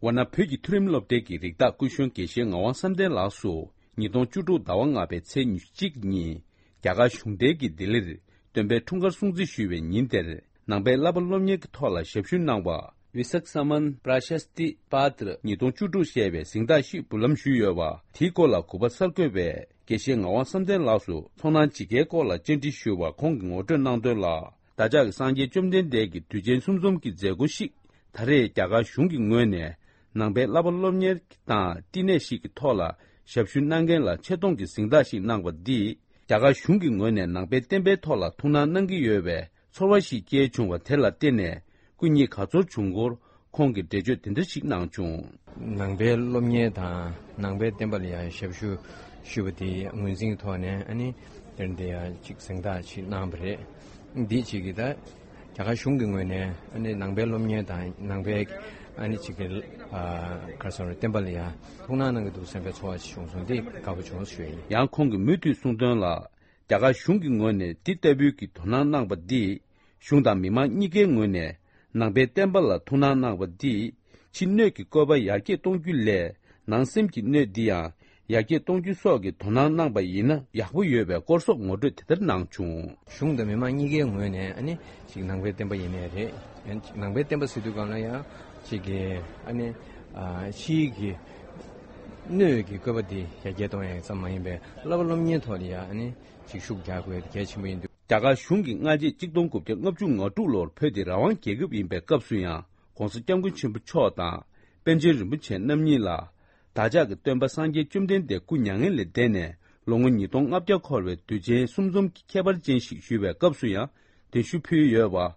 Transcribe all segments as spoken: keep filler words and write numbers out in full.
ཝཱ་ཎ་བོད་ཀྱི་མཐོ་རིམ་སློབ་གྲྭའི་གི་རིགས་བདག་སྐུ་གཞོན་དགེ་བཤེས་ངག་དབང་བསམ་གཏན་ལགས་སུ་ཉིས་སྟོང་བཅུ་དྲུག་ཟླ་བ་ལྔ་པའི་ཚེས་ཉི་ཤུ་གཅིག་ཉིན་རྒྱ་གར་གཞུང་འབྲེལ་གྱི་ལྡི་ལིར་སྟོན་པའི་འཁྲུངས་སྐར་སྲུང་བརྩི་ཞུས་པའི་ཉིན་དེར་ནང་པའི་བསླབ་པ་སློབ་གཉེར་གྱི་ཐོག་ལ་ཞབས་ཞུ་གནང་བ། Visaksaman Prashasti Patra ཉིས་སྟོང་བཅུ་དྲུག་ཞེས་པའི་གཟེངས་རྟགས་ཤིག་འབུལ་ལམ་ཞུས་ཡོད་པ། དེའི་སྐོར་ལ་གུས་པ་གསར་འགོད་པས་དགེ་བཤེས་ངག་དབང་བསམ་གཏན་ལགས་སུ་ཚོར་སྣང་ཇི་དགེའི་སྐོར་ལ་བཅར་འདྲི་ཞུས་པར་ཁོང་གིས་ངོ་སྤྲོད་གནང་དོན་ལ། བདག་ཅག་གི་སངས་རྒྱས་བཅོམ་ལྡན་འདས་ཀྱི་དུས་ཆེན་གསུམ་འཛོམས་ཀྱི་མཛད་སྒོ་ཞིག་ད་རེས་རྒྱ་གར་གཞུང་གི་ངོས་ནས་ནང་པའི་བསླབ་པ་སློབ་གཉེར་དང་བསྟི་གནས་ཤིག་གི་ཐོག་ལ་ཞབས་ཞུ་གནང་མཁན་ལ་ཆེ་མཐོང་གི་གཟེངས་རྟགས་ཤིག་གནང་བ་འདིས་རྒྱ་གར་གཞུང་གི་ངོས་ནས་ནང་པའི་བསྟན་པའི་ཐོག་ལ་ཐུགས་སྣང་གནང་གི་ཡོད་པའི་ཚོར་བ་ཞིག་སྐྱེས་བྱུང་བ་དེ་ལ་བརྟེན་ནས་སྐུ་ཉིད་དགའ་ཚོར་བྱུང་སྐོར་ཁོང་གིས་འགྲེལ་བརྗོད་དེ་འདྲ་ཞིག་གནང་བྱུང་། ནང་པའི་སློབ་གཉེར་དང་ནང་པའི་བསྟན་པ་ལ་ཡང་ཞབས་ཞུ་ཞུས་པ་དེའི་ངོས་འཛིན་ཐོག་ནས་ཨ་ནི་དེར་འདི་ཡང་ཅིག་གཟེངས་རྟགས་ཅིག་གནང་བ་རེད། འདི་ཅིག་གིས་ད་རྒྱ་གར་གཞུང་གི་ངོས་ནས་ཨ་ནི་ནང་པའི་སློབ་གཉེར་དང་ནང་པའི་ཨ་ནི་ཅིག་གི་ཨ་ག་རེ་ཟེར་བསྟན་པ་ལ་ཡང་ཐུགས་སྣང་གནང་གི་འདུག་བསམ་པའི་ཚོར་བ་ཞིག་བྱུང་སོང་། འདི་དགའ་པོ་བྱུང་ཞུ་ཡ་ཡིན། ཡང་ཁོང་གིས་མུ་མཐུད་གསུངས་དོན་ལ། རྒྱ་གར་གཞུང་གི་ངོས་ནས་འདི་ལྟ་བུའི་གི་དོ་སྣང་གནང་པ་འདིས་གཞུང་དང་མི་མང་གཉིས་ཀའི་ངོས་ནས་ནང་པའི་བསྟན་པ་ལ་ཐུགས་སྣང་གནང་པ་འདིས་ཕྱི་སྣོད་ཀྱི་བཀོད་པ་ཡར་རྒྱས་གཏོང་རྒྱུ་ལས་ནང་སེམས་ཀྱི་སྣོད་འདི་ཡང་ཡར་རྒྱས་གཏོང་རྒྱུ་སོགས་ཀྱི་དོ་སྣང་གནང་པ་ཡིན་ན་ཡག་པོ་ཡོད་པའི་སྐོར་སོགས་ངོ་སྤྲོད་དེ་ལྟར་གནང་བྱུང་། གཞུང་དང་མི་མང་གཉིས་ཀའི་ངོས་ནས་ཨ་ནི་ཅིག་ནང་པའི་བསྟན་པ་ཡིན་ནའི་རེད། ཨ་ནི་ཅིག་ནང་པའི་བསྟན་པ་ཟེར་དུས་སྒང་ལ་ཡང་ཅིག་གི་ཨ་ནི་ཨ་ཕྱིའི་གི་སྣོད་ཀྱི་བཀོད་པ་འདི་ཡར་རྒྱས་གཏོང་ཡག་ཙམ་མ་ཡིན་པའི་བསླབ་པ་སློབ་གཉེར་ཐོག་ལ་ཡང་ཨ་ནི་ཅིག་ཤུགས་རྒྱག་དགོས་གལ་ཆེན་པོ་ཡིན་འདུག་རྒྱ་གར་གཞུང་གིས་སྔ་རྗེས་གཅིག་སྟོང་དགུ་བརྒྱ་ལྔ་བཅུ་ང་དྲུག་ལོར་བོད་དེ་རང་དབང་རྒྱལ་ཁབ་ཡིན་པའི་སྐབས་སུ་ཡང་༸གོང་ས་༸སྐྱབས་མགོན་ཆེན་པོ་མཆོག་དང་པཎ་ཆེན་རིན་པོ་ཆེ་རྣམ་གཉིས་ལ་བདག་ཅག་གི་སྟོན་པ་སངས་རྒྱས་བཅོམ་ལྡན་འདས་སྐུ་མྱ་ངན་ལས་འདས་ནས་ལོ་ངོ་ཉིས་སྟོང་ལྔ་བརྒྱ་འཁོར་བའི་དུས་ཆེན་གསུམ་འཛོམས་ཀྱི་ཁྱད་པར་ཅན་ཞིག་ཞུ་བའི་སྐབས་སུ་ཡང་གདན་ཞུ་ཕུལ་ཡོད་པ།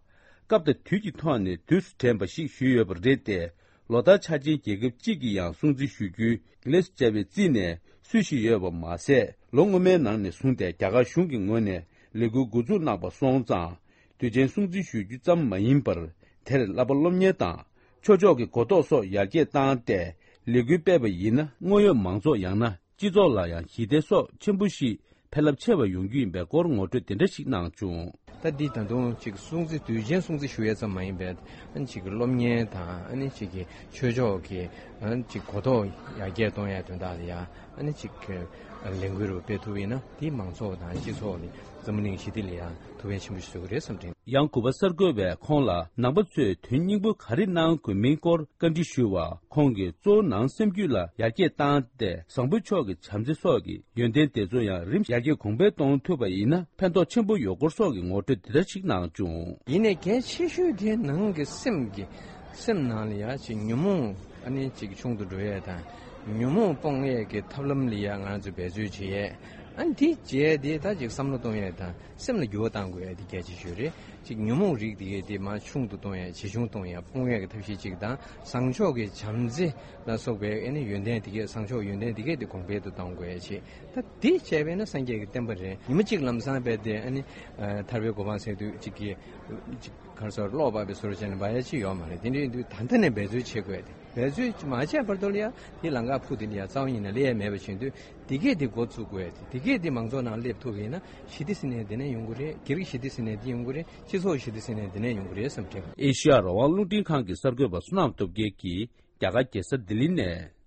སྐབས་དང་དུས་ཀྱི་ཐོག་ནས་དུས་སུ་དྲན་པ་ཞིག་ཞུས་ཡོད་པ་རེད་དེ། ལོ་ལྟར་ཆ་ཆེན་རྒྱལ་ཁབ་གཅིག་གི་ཡང་སྲུང་བརྩི་ཞུ་རྒྱུའི་ལས་སུ་བཅའ་བའི་རྩིས་ནས་སྲོལ་ཞིག་ཡོད་པ་མ་ཟད། ལོ་སྔོན་མའི་ནང་ནས་བཟུང་སྟེ་རྒྱ་གར་གཞུང་གི་ངོས་ནས་ལས་འགུལ་འགོ་འཛུགས་གནང་པ་སོང་ཙང་། དུས་ཆེན་སྲུང་བརྩི་ཞུ་རྒྱུ་ཙམ་མ་ཡིན་པར། དེར་བསླབ་པ་སློབ་གཉེར་དང་ཆོས་ཕྱོགས་ཀྱི་གོ་རྟོགས་སོགས་ཡར་རྒྱས་བཏང་སྟེ་ལས་འགུལ་སྤེལ་བ་ཡིན་ན། དངོས་ཡོད་མང་ཚོགས་ཡང་ན་སྤྱི་ཚོགས་ལ་ཡང་ཞི་བདེ་སོགས་ཆེན་པོ་ཞིག་ཕན་རླབས་ཆེ་བ་ཡོང་རྒྱུ་ཡིན་པའི་སྐོར་ངོ་སྤྲོད་དེ་འདྲ་ཞིག་གནང་བྱུང་། ད་འདི་ད་དུང་ཅིག་སྲུང་བརྩི་དུས་ཆེན་སྲུང་བརྩི་ཞུ་ཡས་ཙམ་མ་ཡིན་པའི་ཨ་ནི་ཅིག་གི་སློབ་གཉེར་དང་ཨ་ནི་ཅིག་གི་ཆོས་ཕྱོགས་ཀྱི་ཨ་ནི་ཅིག་གོ་རྟོགས་ཡར་རྒྱས་གཏོང་ཡས་དོན་དག་ལ་ཡང་ཨ་ནི་ཅིག་གི་ལས་འགུལ་རུ་སྤེལ་ཐུབ་ཡིན་ན་དེ་མང་ཚོགས་དང་སྤྱི་ཚོགས་ལ་འཛམ་བུ་གླིང་ཞི་བདེ་ལ་ཡང་ཐུགས་ཕན་ཆེན་པོ་ཞིག་གསོས་ཀྱི་རེད་བསམ་དྲན། ཡང་གུས་པ་གསར་འགོད་པས་ཁོང་ལ་ནང་པ་ཚོས་དོན་སྙིང་པོ་ག་རེ་གནང་དགོས་མིན་སྐོར་བཀའ་འདྲི་ཞུས་པར་ཁོང་གིས་གཙོ་བོ་ནང་སེམས་རྒྱུད་ལ་ཡར་རྒྱས་བཏང་སྟེ་བཟང་པོའི་ཕྱོགས་ཀྱི་བྱམས་བརྩེ་སོགས་ཀྱི་ཡོན་ཏན་དེ་ཚོ་ཡང་རིམ་བཞིན་ཡར་རྒྱས་གོང་འཕེལ་གཏོང་ཐུབ་པ་ཡིན་ན་ཕན་ཐོགས་ཆེན་པོ་ཡོད་སྐོར་སོགས་ཀྱི་ངོ་སྤྲོད་དེ་འདྲ་ཞིག་གནང་བྱུང་། ཡིན་ནའི་གལ་ཆེ་ཤོས་དེ་ནང་གི་སེམས་ཀྱི་སེམས་ནང་ལ་ཡ་ཅིག་ཉོན་མོངས་ཨ་ནི་ཅིག་ཆུང་དུ་འགྲོ་ཡས་དང་ཉོན་མོངས་སྤོང་ཡས་ཀྱི་ཐབས་ལམ་ལ་ཡ་ང་ཚོས་འབད་རྩོལ་བྱེད་ཡས་ཨ་ནི་དེ་བྱས་དེ་ད་ཅིག་བསམ་བློ་གཏོང་ཡས་དང་། སེམས་ལ་འགྱུར་བ་གཏང་དགོས་ཡ་དེ་གལ་ཆེ་ཤོས་རེད། ཅིག་ཉོན་མོངས་རིགས་དེ་གས་དེ་མར་ཆུང་དུ་གཏོང་ཡ་ཇེ་ཆུང་གཏོང་ཡ་སྤོང་ཡ་གི་ཐབས་ཤེས་གཅིག་དང་། བཟང་ཕྱོགས་ཀྱི་བྱམས་བརྩེ་ལ་སོགས་པའི་ཨ་ནི་ཡོན་ཏན་དེ་གས་བཟང་ཕྱོགས་ཡོན་ཏན་དེ་གས་དེ་གོང་འཕེལ་དུ་གཏོང་དགོས་ཡ་ཆེད་ད་དེ་བྱས་པས་ན་སངས་རྒྱས་ཀྱི་བསྟན་པ་རེད། ཉི་མ་གཅིག་ལམ་སང་བས་དེ་ཨ་ནི་ཨ་ཐར་པའི་གོ་འཕང་ཟེར་དུས་གཅིག་གི་གཅིག་གར་སོར་ཀློག་པ་བའི་སོར་བྱས་ནས་འབའ་ཡ་ཅི་ཡོད་མ་རེད། དེ་འདྲའི་དུས་ད་ལྟ་ནས་འབད་རྩོལ་བྱེད་དགོས་ཏེ། འབད་རྩོལ་མ་བྱས་བར་དུ་ལ་ཡ་དེ་ལམ་ཁ་ཕུག་དེ་ལ་ཡ་རྩ་བ་ཉིད་ནས་སླེབས་ཡ་མེད་པ་བྱེད་དུས། དེ་གས་དེ་འགོ་བཙུགས་དགོས་ཏེ། དེ་གས་དེ་མང་ཚོགས་ནང་སླེབས་ཐུབ་ཡིན་ན་ཞི་བདེ་ཟེར་ནས་དེ་ནས་ཡོང་གི་རེད། སྒེར་གྱི་ཞི་བདེ་ཟེར་ནས་དེ་ཡོང་གི་རེད། སྤྱི་ཚོགས་ཞི་བདེ་ཟེར་ནས་དེ་ནས་ཡོང་གི་རེད་བསམ་དྲན། ཨེ་ཤི་ཡ་རང་དབང་རླུང་འཕྲིན་ཁང་གི་གསར་འགོད་པ་བསོད་ནམས་སྟོབས་རྒྱལ་གྱིས་རྒྱ་གར་རྒྱལ་ས་ལྡི་ལི་ནས།